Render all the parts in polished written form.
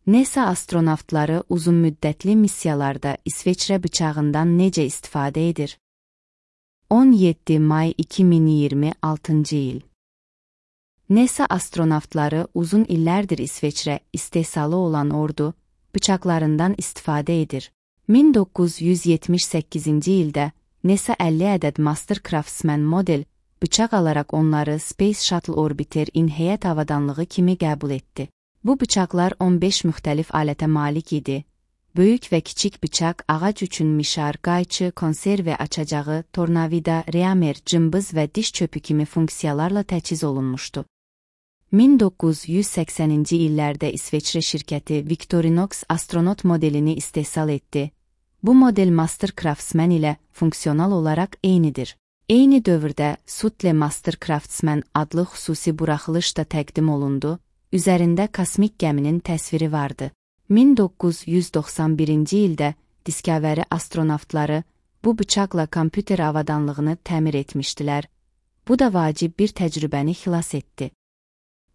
NASA astronavtları uzunmüddətli missiyalarda İsveçrə bıçağından necə istifadə edir? 17 may 2026 il. NASA astronavtları uzun illərdir İsveçrə istehsalı olan ordu bıçaqlarından istifadə edir. 1978-ci ildə NASA 50 ədəd Master Craftsman model bıçaq alaraq onları Space Shuttle Orbiter-in heyət avadanlığı kimi qəbul etdi. Bu bıçaqlar 15 müxtəlif alətə malik idi. Böyük və kiçik bıçaq, ağac üçün mişar, qayçı, konserve açacağı, tornavida, reamer, cımbız və diş çöpü kimi funksiyalarla təchiz olunmuşdu. 1980-ci illərdə İsveçrə şirkəti Victorinox astronot modelini istehsal etdi. Bu model Master Craftsman ilə funksional olaraq eynidir. Eyni dövrdə Sutle Master Craftsman adlı xüsusi buraxılış da təqdim olundu. Üzərində kosmik gəminin təsviri vardı. 1991-ci ildə Discovery astronavtları bu bıçaqla kompüter avadanlığını təmir etmişdilər. Bu da vacib bir təcrübəni xilas etdi.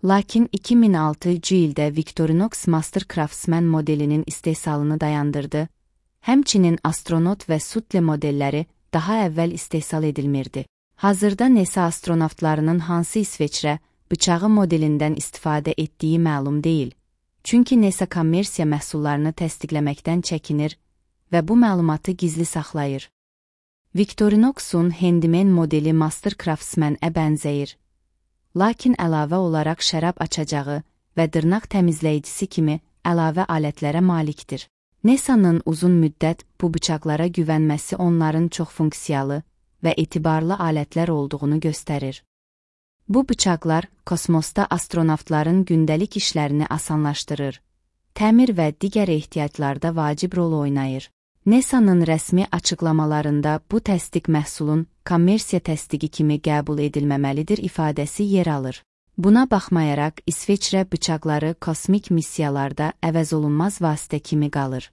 Lakin 2006-cı ildə Victorinox Master Craftsman modelinin istehsalını dayandırdı. Həmçinin astronot və Sutle modelləri daha əvvəl istehsal edilmirdi. Hazırda NASA astronavtlarının hansı İsveçrə bıçağı modelindən istifadə etdiyi məlum deyil. Çünki NASA kommersiya məhsullarını təsdiqləməkdən çəkinir və bu məlumatı gizli saxlayır. Victorinox'un Handyman modeli Master Craftsman-ə bənzəyir. Lakin əlavə olaraq şərab açacağı və dırnaq təmizləyicisi kimi əlavə alətlərə malikdir. NASA'nın uzun müddət bu bıçaqlara güvənməsi onların çox funksiyalı və etibarlı alətlər olduğunu göstərir. Bu bıçaqlar kosmosda astronavtların gündəlik işlərini asanlaşdırır, təmir və digər ehtiyaclarda vacib rol oynayır. NASA'nın rəsmi açıqlamalarında bu təsdiq məhsulun kommersiya təsdiqi kimi qəbul edilməməlidir ifadəsi yer alır. Buna baxmayaraq İsveçrə bıçaqları kosmik missiyalarda əvəzolunmaz vasitə kimi qalır.